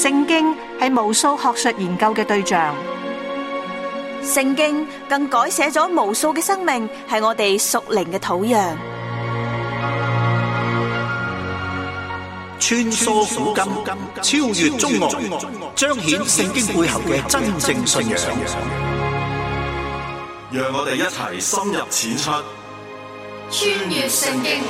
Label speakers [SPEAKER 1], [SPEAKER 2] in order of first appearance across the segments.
[SPEAKER 1] 聖經係無數學術研究嘅對象，
[SPEAKER 2] 聖經更改寫咗無數嘅生命，係我哋屬靈嘅土壤。
[SPEAKER 3] 穿梭古今，超越中外，彰顯聖經背後嘅真正信仰。
[SPEAKER 4] 讓我哋一齊深入淺出，
[SPEAKER 5] 穿越聖經。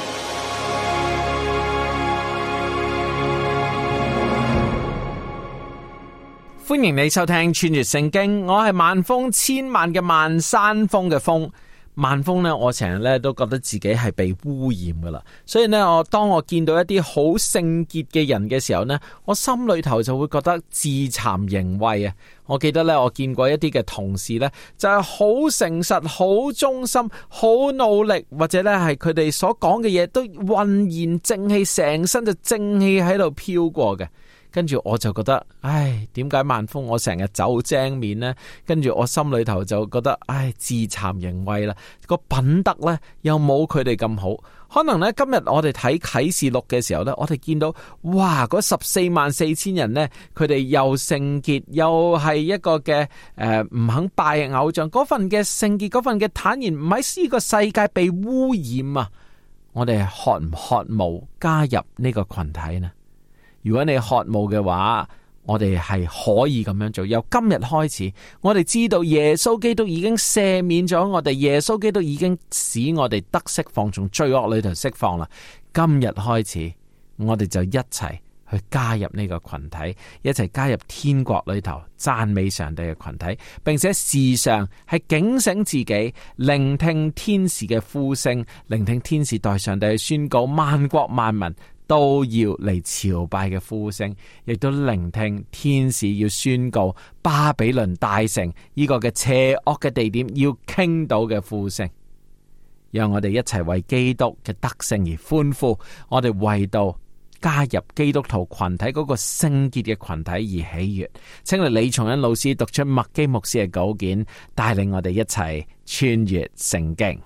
[SPEAKER 6] 歡迎你收聽穿越聖經，我係萬峰，千萬嘅萬，山峰嘅峰。萬峰呢，我成日咧都覺得自己係被污染噶啦，所以呢，當我見到一啲好聖潔嘅人嘅時候呢，我心裏頭就會覺得自慚形穢啊！我記得呢，我見過一啲嘅同事呢，就係好誠實、好忠心、好努力，或者呢係佢哋所講嘅嘢都渾然正氣，成身就正氣喺度飄過嘅。跟住我就覺得，唉，點解萬峰我成日走正面呢？跟住我心裏頭就覺得，唉，自慚形穢啦。個品德呢又冇佢哋咁好。可能呢，今日我哋睇啟示錄嘅時候呢，我哋見到，哇，嗰144000人呢，佢哋又聖潔，又係一個嘅唔肯拜偶像，嗰份嘅聖潔，嗰份嘅坦然，唔喺呢個世界被污染啊！我哋渴唔渴慕加入呢個群體呢？如果你渴慕嘅話，我哋係可以咁樣做。由今日開始，我哋知道耶穌基督已經赦免咗我哋，耶穌基督已經使我哋得釋放，從罪惡裏頭釋放啦。今日開始，我哋就一齊去加入呢個群體，一齊加入天國裏頭讚美上帝嘅群體，並且時常係警醒自己，聆聽天使嘅呼聲，聆聽天使代上帝去宣告萬國萬民都要嚟朝拜嘅呼聲，亦都聆聽天使要宣告巴比倫大城呢個嘅邪惡嘅地點要傾倒嘅呼聲。讓我哋一齊為基督嘅得勝而歡呼，我哋為到加入基督徒群體嗰個聖潔嘅群體而喜悅。請嚟李松恩老師讀出麥基牧師嘅稿件，帶領我哋一齊穿越聖經。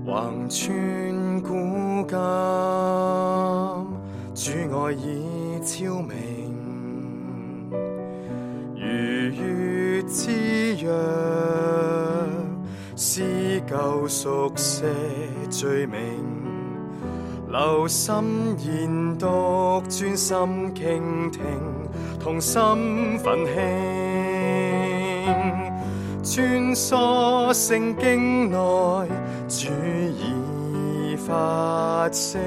[SPEAKER 7] 橫穿古今，主愛已昭明，如月之約，撕舊熟寫罪名，留心研讀，專心傾聽，同心奮興，穿梭聖經內，主已發聲，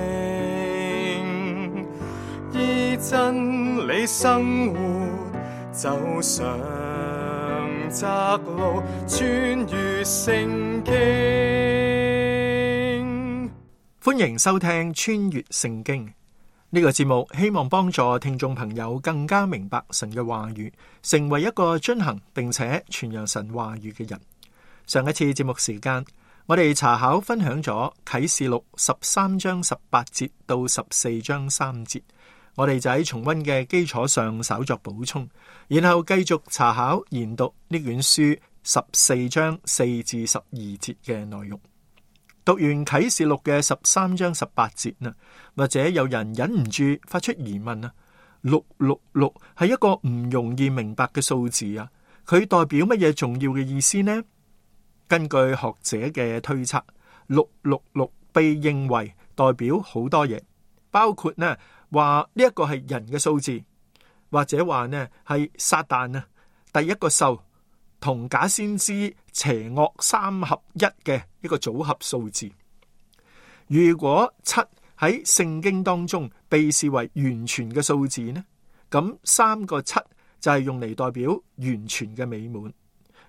[SPEAKER 7] 依真理生活，走上窄路，穿越聖經。
[SPEAKER 8] 歡迎收聽穿越聖經呢個節目，希望幫助聽眾朋友更加明白神嘅話語，成為一個遵行並且傳揚神話語嘅人。上一次節目時間，我哋查考分享咗啟示錄13章18節到14章3節，我哋就喺重溫嘅基礎上稍作補充，然後繼續查考研讀呢卷書14章4至12節嘅內容。讀完啟示錄嘅13章18節啦，或者有人忍唔住發出疑問啊，666係一個唔容易明白嘅數字啊，佢代表乜嘢重要嘅意思呢？根據學者嘅推測，666被認為代表好多嘢，包括呢話呢一個係人嘅數字，或者話呢係撒旦啊第一個獸同假先知邪惡三合一嘅一個組合數字。如果7喺聖經當中被視為完全嘅數字呢，咁3個7就係用嚟代表完全嘅美滿。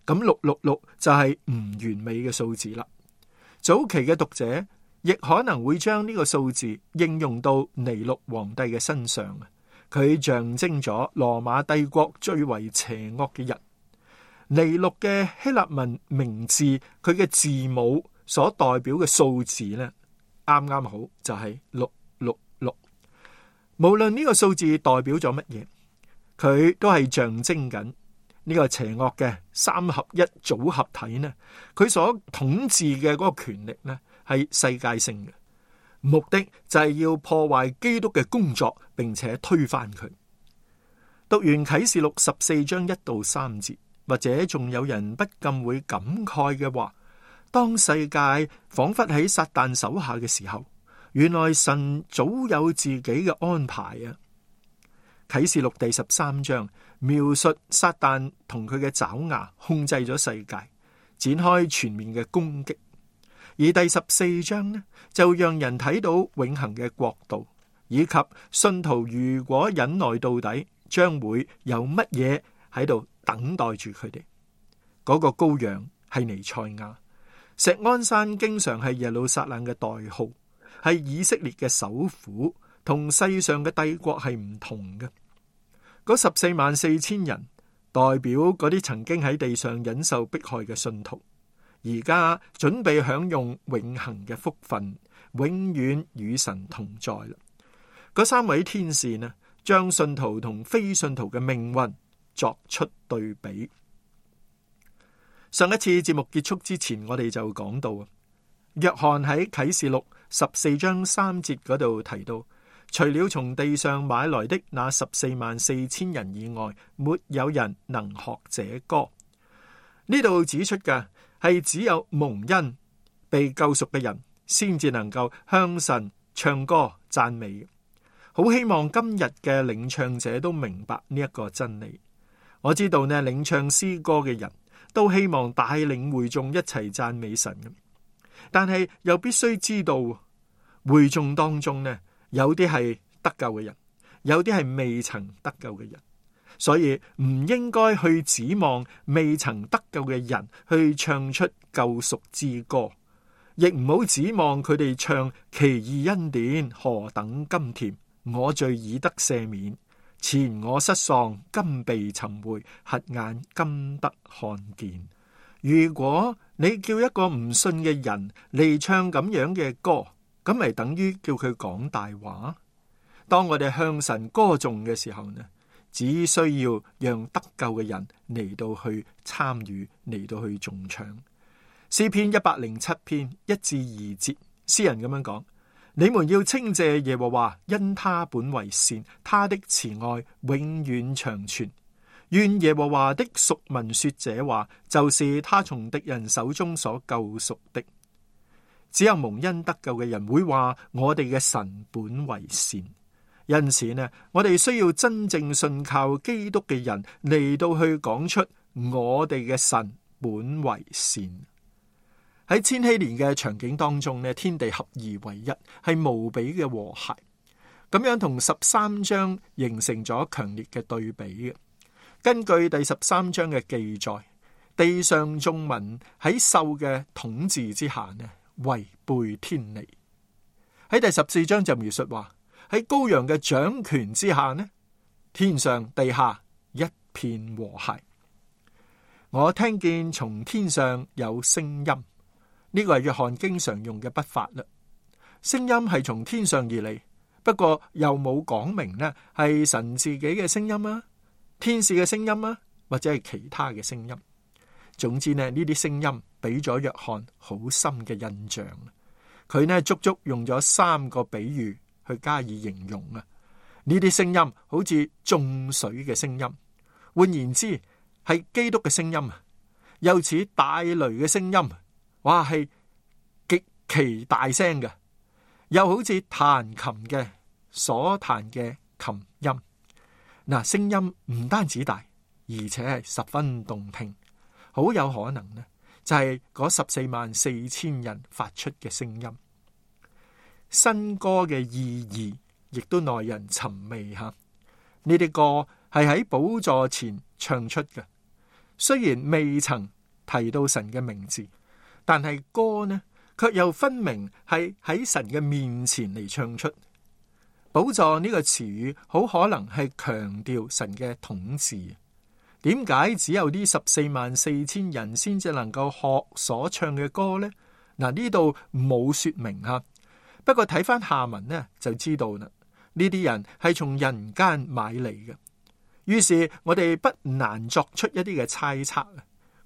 [SPEAKER 8] 咁666就係唔完美嘅數字啦。早期嘅讀者亦可能會將呢個數字應用到尼祿皇帝嘅身上，佢象徵咗羅馬帝國最為邪惡嘅人。尼祿嘅希臘文名字，佢嘅字母所代表嘅數字呢，啱啱好就係666。無論呢個數字代表咗乜嘢，佢都係象徵緊呢個邪惡嘅三合一組合體呢，佢所統治嘅嗰個權力呢，係世界性嘅，目的就係要破壞基督嘅工作，並且推翻佢。讀完啟示錄14章1到3節，或者仲有人不禁會感慨嘅話，當世界仿佛喺撒旦手下嘅時候，原來神早有自己嘅安排啊！啟示錄第13章描述撒旦同佢嘅爪牙控制咗世界，展開全面嘅攻擊。而第14章呢，就讓人睇到永恆嘅國度，以及信徒如果忍耐到底，將會有乜嘢喺度等待住佢哋。嗰個羔羊係彌賽亞，錫安山經常係耶路撒冷嘅代號，係以色列嘅首府，同世上嘅帝國係唔同嘅。嗰144000人代表嗰啲曾經喺地上忍受迫害嘅信徒，而家準備享用永恆嘅福分，永遠與神同在啦。嗰3位天使呢，將信徒同非信徒嘅命運作出對比。上一次節目結束之前，我哋就講到，約翰喺啟示錄14章3節嗰度提到，除了從地上買來的那144000人以外，沒有人能學這歌。呢度指出嘅係只有蒙恩被救贖嘅人先至能夠向神唱歌讚美。好希望今日嘅領唱者都明白呢一個真理。我知道呢，領唱詩歌嘅人都希望帶領會眾一齊讚美神，但係又必須知道會眾當中呢，有啲係得救嘅人，有啲係未曾得救嘅人，所以唔應該去指望未曾得救嘅人去唱出救贖之歌，亦唔好指望佢哋唱奇異恩典何等甘甜，我罪已得赦免，前我失喪今被尋回，瞎眼今得看見。如果你叫一個唔信嘅人嚟唱咁樣嘅歌，咁咪等於叫佢講大話。當我哋向神歌頌嘅時候呢，只需要讓得救嘅人嚟到去參與，嚟到去頌唱。詩篇107篇1至2節，詩人咁樣講：你們要稱謝耶和華，因他本為善，他的慈愛永遠長存。願耶和華的贖民說這話，就是他從敵人手中所救贖的。只有蒙恩得救嘅人會話我哋嘅神本為善，因此呢，我哋需要真正信靠基督嘅人嚟到去講出我哋嘅神本為善。喺千禧年嘅場景當中呢，天地合而為一，係無比嘅和諧，咁樣同13章形成咗強烈嘅對比嘅。根據第13章嘅記載，地上眾民喺獸嘅統治之下呢，違背天理。喺第14章就描述話，喺羔羊嘅掌權之下呢，天上地下一片和諧。我聽見從天上有聲音，呢個係約翰經常用嘅筆法啦。聲音係從天上而嚟，不過又冇講明呢係神自己嘅聲音啊，天使嘅聲音啊，或者係其他嘅聲音。總之呢啲聲音俾咗約翰好深嘅印象。佢呢足足用咗3個比喻去加以形容啊。呢啲聲音好似眾水嘅聲音，換言之係基督嘅聲音啊，又似大雷嘅聲音，哇係極其大聲嘅，又好似彈琴嘅所彈嘅琴音。嗱，聲音唔單止大，而且係十分動聽，好有可能呢就係嗰144000人發出嘅聲音。新歌嘅意義亦都耐人尋味吓。呢啲歌係喺寶座前唱出嘅，雖然未曾提到神嘅名字，但係歌呢卻又分明係喺神嘅面前嚟唱出。寶座呢個詞語好可能係強調神嘅統治。點解只有呢144000人先至能夠學所唱嘅歌呢？嗱，呢度冇說明吓，不過睇翻下文呢就知道啦。呢啲人係從人間買嚟嘅，於是我哋不難作出一啲嘅猜測。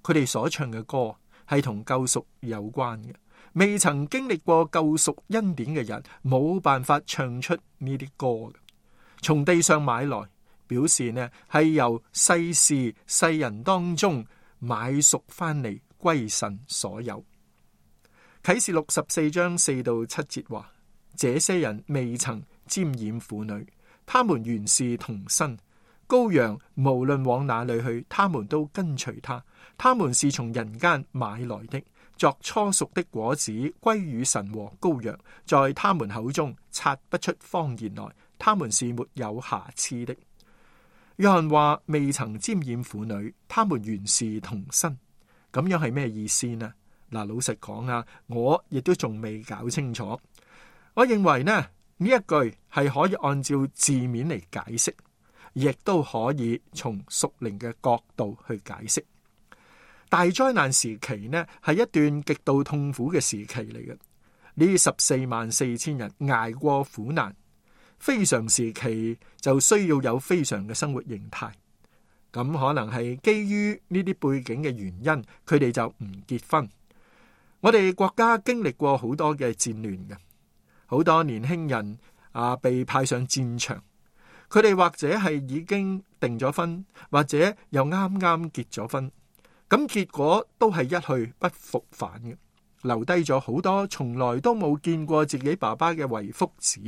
[SPEAKER 8] 佢哋所唱嘅歌係同救贖有關嘅，未曾經歷過救贖恩典嘅人冇辦法唱出呢啲歌嘅。從地上買來，表示呢係由世事世人當中買贖翻嚟，歸神所有。啟示錄14章4到7節話：這些人未曾沾染婦女，他們原是童身。羔羊無論往哪裏去，他們都跟隨他。他們是從人間買來的，作初熟的果子，歸與神和羔羊，在他們口中察不出謊言來，他們是沒有瑕疵的。約翰話未曾沾染婦女，他們原是童身，咁樣係咩意思呢？嗱，老實講啊，我亦都仲未搞清楚。我認為呢一句係可以按照字面嚟解釋，亦都可以從屬靈嘅角度去解釋。大災難時期呢係一段極度痛苦嘅時期嚟嘅，呢144000人捱過苦難。非常時期就需要有非常嘅生活形態，咁可能係基於呢啲背景嘅原因，佢哋就唔結婚。我哋國家經歷過好多嘅戰亂嘅，好多年輕人被派上戰場，佢哋或者係已經訂咗婚，或者又啱啱結咗婚，咁結果都係一去不復返嘅，留低咗好多從來都冇見過自己爸爸嘅遺腹子。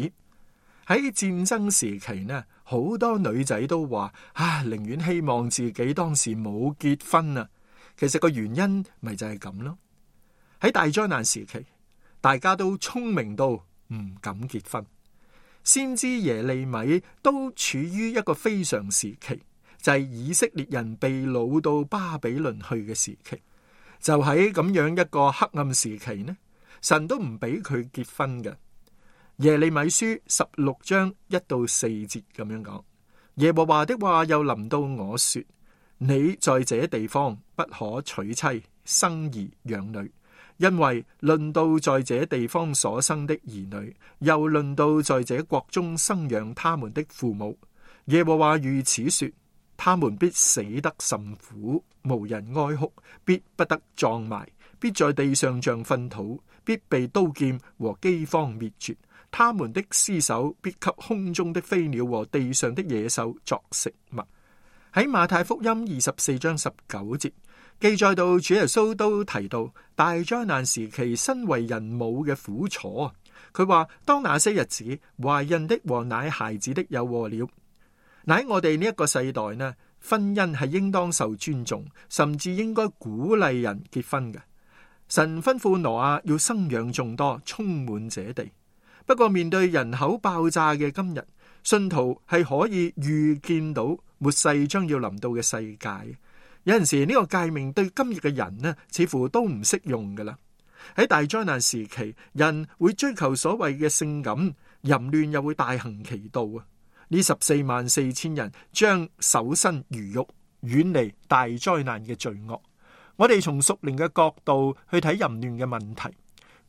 [SPEAKER 8] 喺戰爭時期呢，好多女仔都話寧願希望自己當時冇結婚啊。其實個原因咪就係咁咯。喺大災難時期，大家都聰明到唔敢結婚。先知耶利米都處於一個非常時期，就係以色列人被擄到巴比倫去嘅時期。就喺咁樣一個黑暗時期呢，神都唔俾佢結婚嘅。耶利米書16章1到4節咁樣講：耶和華的話又臨到我說，你在這地方不可娶妻生兒養女，因為論到在這地方所生的兒女，又論到在這國中生養他們的父母，耶和華如此說，他們必死得甚苦，無人哀哭，必不得葬埋，必在地上像糞土，必被刀劍和饑荒滅絕。他們的屍首必給空中的飛鳥和地上的野獸作食物。喺馬太福音24章19節記載到，主耶穌都提到大災難時期身為人母嘅苦楚。佢話：當那些日子，懷孕的和奶孩子的有禍了。喺我哋呢一個世代呢，婚姻係應當受尊重，甚至應該鼓勵人結婚嘅。神吩咐挪亞要生養眾多，充滿這地。不過面對人口爆炸嘅今日，信徒係可以預見到末世將要臨到嘅世界。有陣時呢個誡命對今日嘅人呢，似乎都唔適用噶啦。喺大災難時期，人會追求所謂嘅性感，淫亂又會大行其道啊！呢144000人將守身如玉，遠離大災難嘅罪惡。我哋從屬靈嘅角度去睇淫亂嘅問題。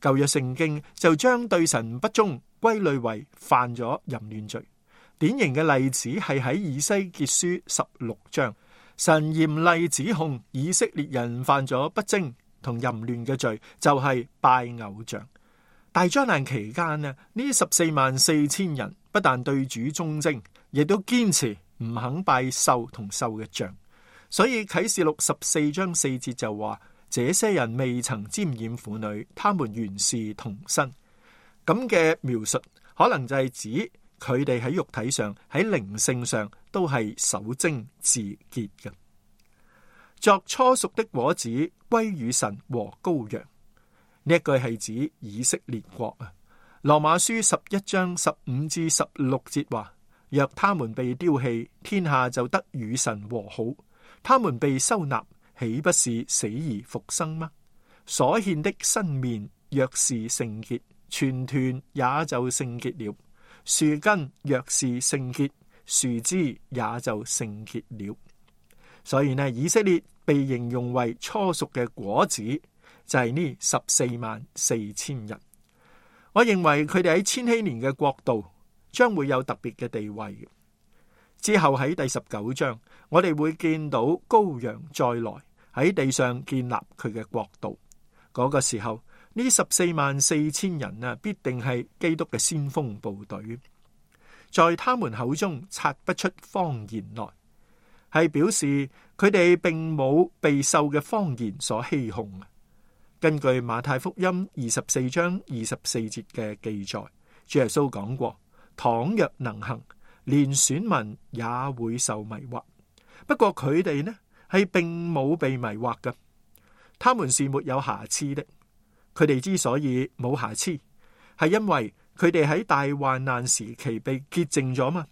[SPEAKER 8] 舊約聖經就將對神不忠歸類為犯咗淫亂罪。典型嘅例子係喺以西結書16章，神嚴厲指控以色列人犯咗不貞同淫亂嘅罪，就係拜偶像。大災難期間呢144000人不但對主忠貞，亦都堅持唔肯拜獸同獸嘅像。所以啟示錄14章4節就話：這些人未曾沾染婦女，他們原是童身。咁嘅描述可能就係指佢哋喺肉體上、喺靈性上都係守貞自潔嘅。作初熟的果子，歸與神和羔羊。呢一句係指以色列國啊。羅馬書11章15至16節話：若他們被丟棄，天下就得與神和好；他們被收納，豈不是死而復生嗎？所獻的新麵若是聖潔，全團也就聖潔了；樹根若是聖潔，樹枝也就聖潔了。所以呢，以色列被形容為初熟嘅果子，就係呢144000人。我認為佢哋喺千禧年嘅國度將會有特別嘅地位。之後喺第19章，我哋會見到羔羊再來喺地上建立佢嘅國度。嗰個時候，呢144000人啊，必定係基督嘅先鋒部隊。在他們口中察不出謊言來，係表示佢哋並冇被獸嘅謊言所欺哄。根據馬太福音24章24節嘅記載，主耶穌講過，倘若能行，連選民也會受迷惑。不過佢哋呢係並冇被迷惑嘅，他們是沒有瑕疵的。佢哋之所以冇瑕疵，係因為佢哋喺大患難時期被潔淨咗嘛？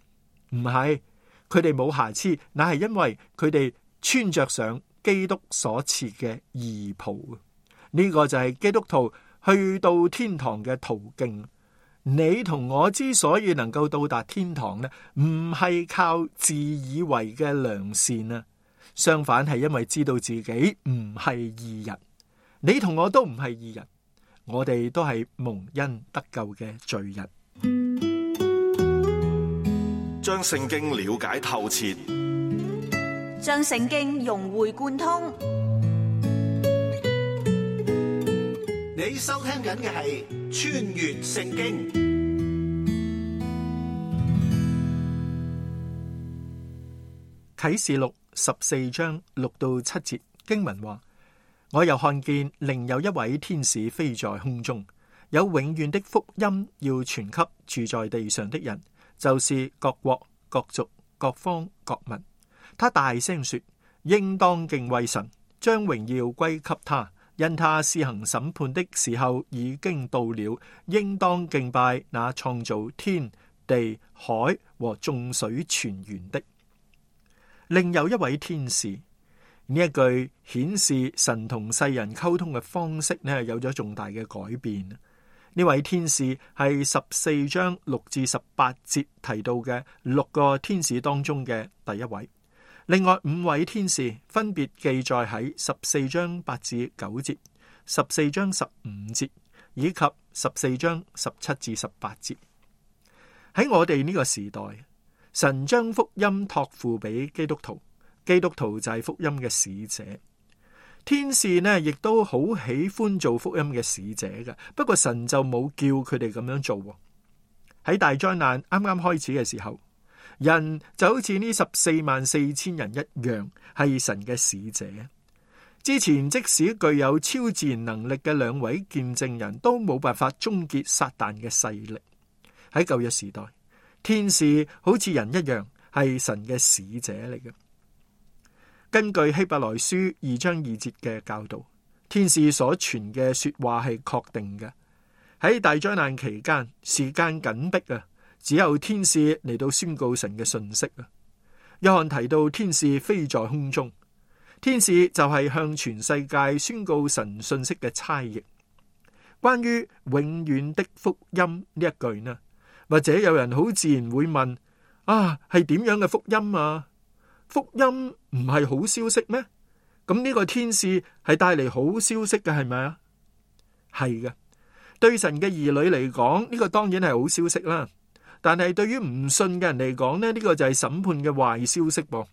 [SPEAKER 8] 唔係，佢哋冇瑕疵，乃係因為佢哋穿着上基督所賜嘅義袍。呢個就係基督徒去到天堂嘅途徑。你同我之所以能夠到達天堂呢，唔係靠自以為嘅良善啊，相反係因為知道自己唔係義人。你同我都唔係義人，我哋都係蒙恩得救嘅罪人。
[SPEAKER 4] 將聖經了解透徹，
[SPEAKER 2] 將聖經融會貫通。
[SPEAKER 3] 你收聽緊嘅係穿越聖經。
[SPEAKER 8] 啟示錄14章6到7節經文話，我又看見另有一位天使飛在空中，有永遠的福音要傳給住在地上的人，就是各國、各族、各方、各民。他大聲說，應當敬畏神，將榮耀歸給他，因他施行審判的時候已經到了，應當敬拜那創造天地海和眾水泉源的。另有一位天使，呢一句顯示神同世人溝通嘅方式呢，有咗重大嘅改變。呢位天使係14章6至18節提到嘅6個天使當中嘅第一位。另外5位天使分別記載喺14章8至9節、14章15節以及14章17至18節。喺我哋呢個時代，神將福音託付俾基督徒，基督徒就係福音嘅使者。天使呢亦都好喜歡做福音嘅使者嘅，不過神就冇叫佢哋咁樣做。喺大災難啱啱開始嘅時候，人就好似呢144000人一樣，係神嘅使者。之前即使具有超自然能力嘅2位見證人都冇辦法終結撒旦嘅勢力。喺舊約時代，天使好似人一樣，係神嘅使者嚟嘅。根據希伯來書2章2節嘅教導，天使所傳嘅說話係確定嘅。喺大災難期間，時間緊迫啊，只有天使嚟到宣告神嘅信息啊。約翰提到天使飛在空中，天使就係向全世界宣告神信息嘅差役。關於永遠的福音呢一句呢，或者有人好自然會問，係點樣嘅福音啊？福音唔係好消息咩？咁呢個天使係帶嚟好消息嘅，係咪啊？係嘅，對神嘅兒女嚟講，呢個當然係好消息啦。但係對於唔信嘅人嚟講呢，呢個就係審判嘅壞消息噃。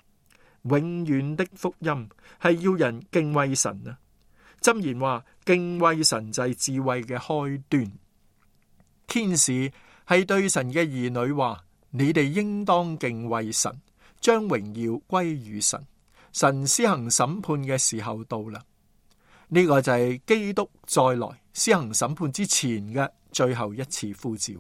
[SPEAKER 8] 永遠的福音係要人敬畏神啊。箴言話，敬畏神就係智慧嘅開端。天使係對神嘅兒女話，你哋應當敬畏神，將榮耀歸於神。神施行審判嘅時候到啦，呢個就係基督再來施行審判之前嘅最後一次呼召。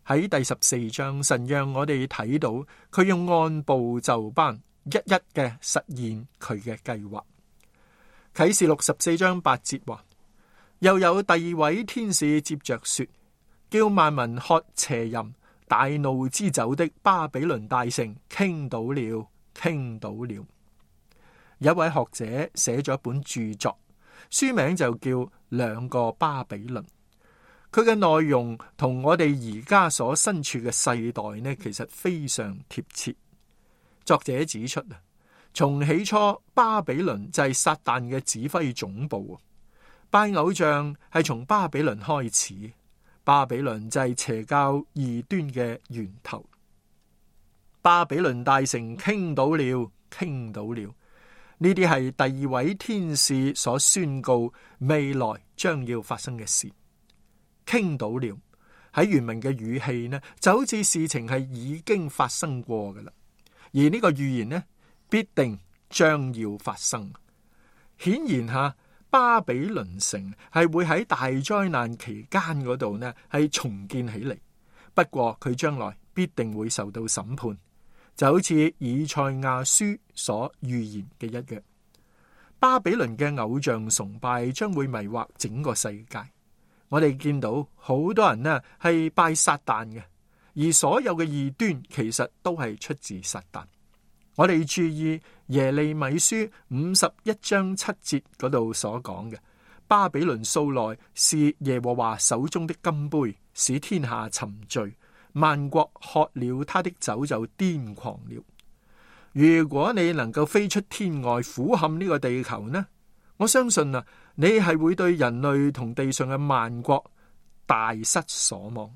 [SPEAKER 8] 喺第14章，神讓我哋睇到佢用按部就班一一嘅實現佢嘅計劃。啟示錄14章8節話，又有第2位天使接着說，叫萬民喝邪淫大怒之酒的巴比倫大城傾倒了，傾倒了。有一位學者寫咗一本著作，書名就叫兩個巴比倫。佢嘅內容同我哋而家所身處嘅世代呢，其實非常貼切。作者指出啊，從起初巴比倫就係撒旦嘅指揮總部，拜偶像係從巴比倫開始。巴比倫就係邪教異端嘅源頭。巴比倫大城傾倒了，傾倒了。呢啲係第2位天使所宣告未來將要發生嘅事。傾倒了喺原文嘅語氣呢，就好似事情係已經發生過㗎喇。而呢個預言呢，必定將要發生。顯然下，巴比倫城係會喺大災難期間嗰度呢係重建起嚟。不過佢將來必定會受到審判，就好似以賽亞書所預言嘅一樣。巴比倫嘅偶像崇拜將會迷惑整個世界。我哋見到好多人呢係拜撒旦嘅，而所有嘅異端其實都係出自撒旦。我哋注意耶利米書51章7節嗰度所講嘅，巴比倫素來是耶和華手中的金杯，使天下沉醉，萬國喝了他的酒就癲狂了。如果你能夠飛出天外俯瞰呢個地球呢，我相信啊，你係會對人類同地上嘅萬國大失所望。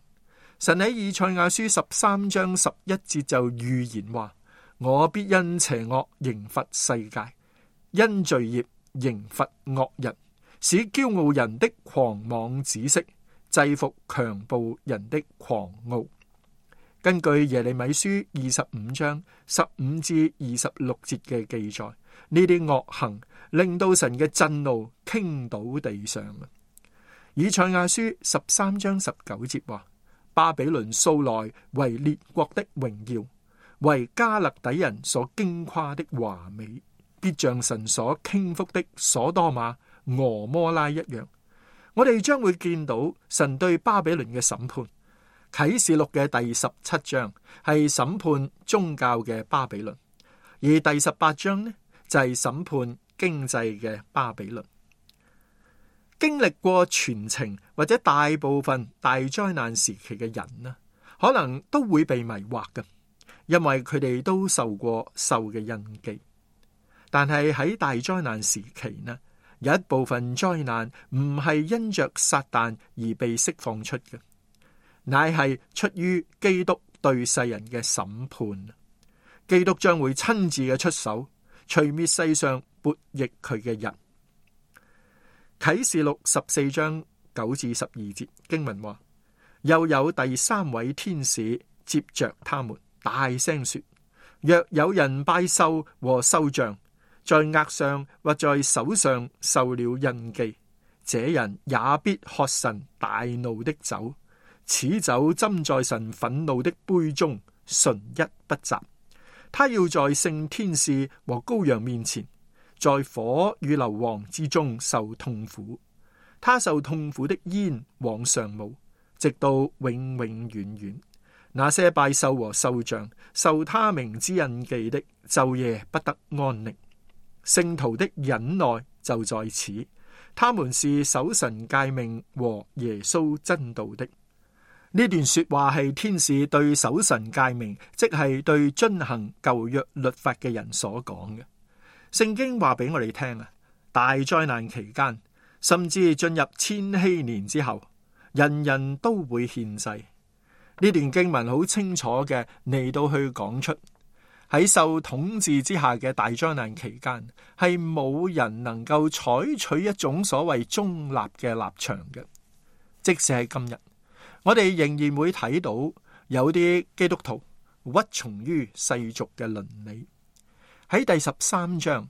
[SPEAKER 8] 神喺以賽亞書13章11節就預言話，我必因邪惡刑罰世界，因罪孽刑罰惡人，使驕傲人的狂妄止息，制服強暴人的狂傲。根據耶利米書25章15至26節嘅記載，呢啲惡行令到神嘅震怒傾倒地上。以賽亞書13章19節話，巴比倫素來為列國的榮耀，為加勒底人所矜誇的華美，必像神所傾覆的所多瑪、俄摩拉一樣。我哋將會見到神對巴比倫嘅審判。啟示錄嘅第17章係審判宗教嘅巴比倫，而第18章呢就係審判經濟嘅巴比倫。經歷過全程或者大部分大災難時期嘅人呢，可能都會被迷惑嘅，因為佢哋都受過獸嘅印記。但係喺大災難時期呢，有一部分災難唔係因着撒旦而被釋放出嘅，乃係出於基督對世人嘅審判。基督將會親自嘅出手，除滅世上悖逆佢嘅人。啟示錄14章9至12節經文話，又有第三位天使接着他們，大聲說，若有人拜獸和獸像，在額上或在手上受了印記，這人也必喝神大怒的酒，此酒斟在神憤怒的杯中，純一不雜。他要在聖天使和羔羊面前，在火與硫磺之中受痛苦。他受痛苦的煙往上冒，直到永永遠遠。那些拜獸和獸像受他名之印記的，晝夜不得安寧。聖徒的忍耐就在此，他們是守神誡命和耶穌真道的。呢段說話係天使對守神誡命，即係對遵行舊約律法嘅人所講嘅。聖經話俾我哋聽啊，大災難期間，甚至進入千禧年之後，人人都會獻祭。呢段經文好清楚嘅嚟到去講出，喺受統治之下嘅大災難期間，係冇人能夠採取一種所謂中立嘅立場嘅。即使係今日，我哋仍然會睇到有啲基督徒屈從於世俗嘅倫理。喺第13章，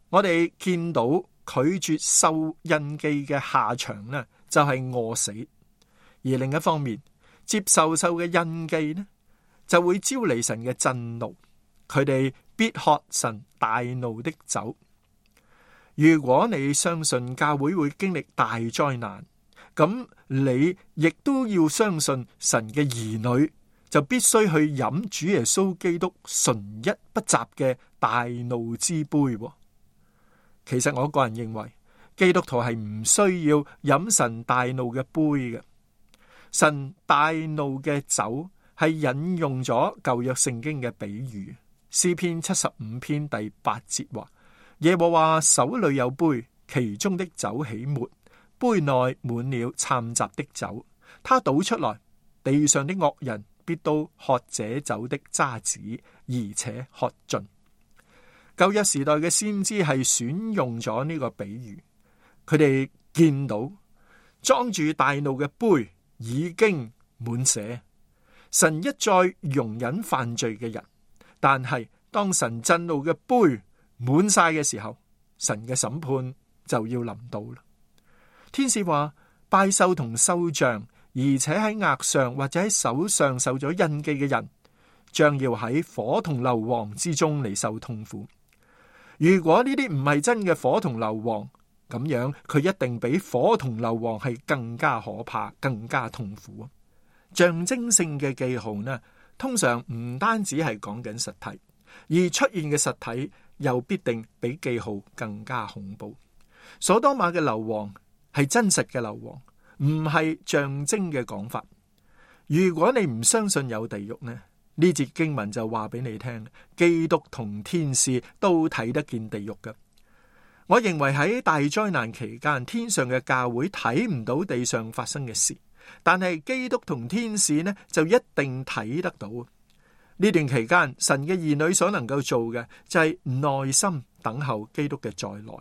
[SPEAKER 8] 我哋見到拒絕受印記嘅下場呢，就係餓死；而另一方面，接受獸嘅印記呢，就會招嚟神嘅震怒。佢哋必喝神大怒的酒。如果你相信教會會經歷大災難，咁你亦都要相信神嘅兒女就必須去飲主耶穌基督純一不雜嘅大怒之杯。其實我個人認為，基督徒係唔需要飲神大怒嘅杯嘅。神大怒嘅酒係引用咗舊約聖經嘅比喻。詩篇75篇第8節話，耶和華手裏有杯，其中的酒起沫，杯內滿了摻雜的酒，他倒出來，地上的惡人必都喝這酒的渣子，而且喝盡。舊約時代嘅先知係選用咗呢個比喻，佢哋見到裝住大怒嘅杯已經滿瀉。神一再容忍犯罪嘅人，但係當神震怒嘅杯滿晒嘅時候，神嘅審判就要臨到啦。天使話，拜獸同獸像，而且喺額上或者喺手上受咗印記嘅人，將要喺火同硫磺之中嚟受痛苦。如果呢啲唔係真嘅火同硫磺，咁樣佢一定比火同硫磺係更加可怕，更加痛苦。象徵性嘅記號呢，通常唔單止係講緊實體，而出現嘅實體又必定比記號更加恐怖。所多瑪嘅硫磺係真實嘅硫磺，唔係象徵嘅講法。如果你唔相信有地獄呢，呢節經文就話俾你聽，基督同天使都睇得見地獄嘅。我認為喺大災難期間，天上嘅教會睇唔到地上發生嘅事，但係基督同天使呢就一定睇得到。呢段期間，神嘅兒女所能夠做嘅就係耐心等候基督嘅再來。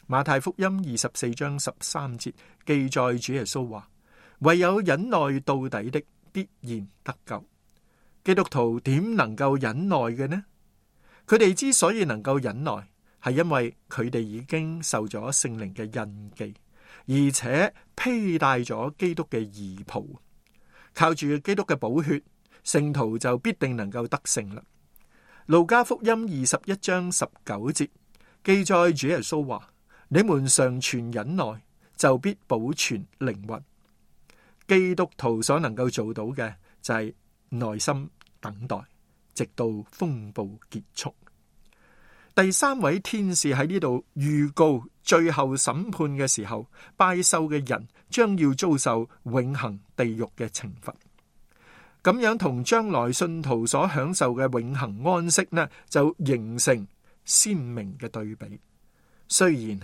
[SPEAKER 8] 馬太福音24章13節記載主耶穌話，唯有忍耐到底的必然得救。基督徒點能夠忍耐嘅呢？佢哋之所以能夠忍耐，係因為佢哋已經受咗聖靈嘅印記，而且披戴咗基督嘅義袍，靠住基督嘅寶血，聖徒就必定能夠得勝啦。路加福音21章19節記載主耶穌話，你們常存忍耐，就必保存靈魂。基督徒所能夠做到嘅就係耐心等待，直到風暴結束。第三位天使喺呢度預告最後審判嘅時候，拜獸嘅人將要遭受永恆地獄嘅懲罰。咁樣同將來信徒所享受嘅永恆安息呢，就形成鮮明嘅對比。雖然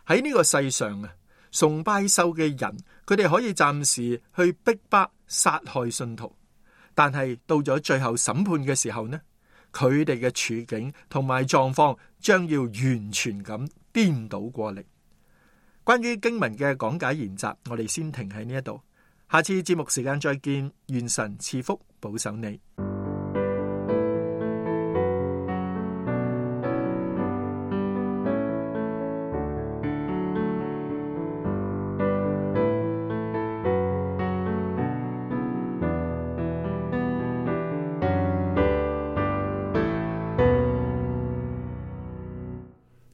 [SPEAKER 8] 喺呢個世上崇拜獸嘅人，佢哋可以暫時去逼迫殺害信徒，但係到咗最後審判嘅時候呢，佢哋嘅處境同埋狀況將要完全咁顛倒過嚟。關於經文嘅講解研習，我哋先停喺呢一度，下次節目時間再見，願神賜福保守你。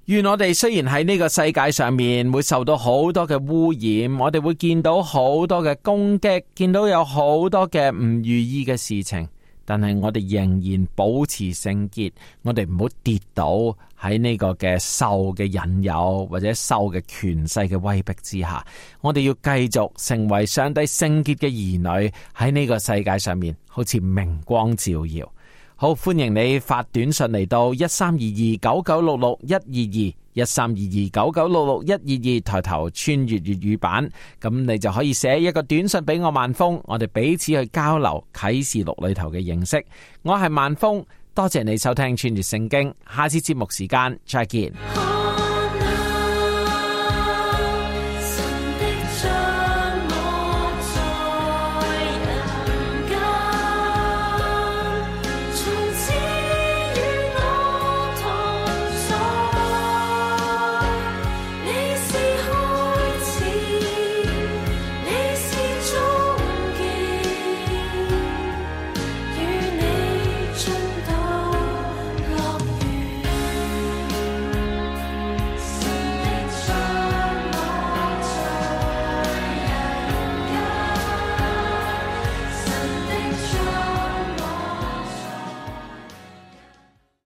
[SPEAKER 6] 願我哋雖然喺呢個世界上面會受到好多嘅污染，我哋會見到好多嘅攻擊，見到有好多嘅唔如意嘅事情，但係我哋仍然保持聖潔，我哋唔好跌倒喺呢個嘅獸嘅引誘或者獸嘅權勢嘅威逼之下，我哋要繼續成為上帝聖潔嘅兒女，喺呢個世界上面好似明光照耀。好，歡迎你發短信嚟到132299661122132299661122，抬頭穿越粵語版，咁你就可以寫一個短信俾我萬峰，我哋彼此去交流啟示錄裏頭嘅認識。我係萬峰，多謝你收聽穿越聖經，下次節目時間再見。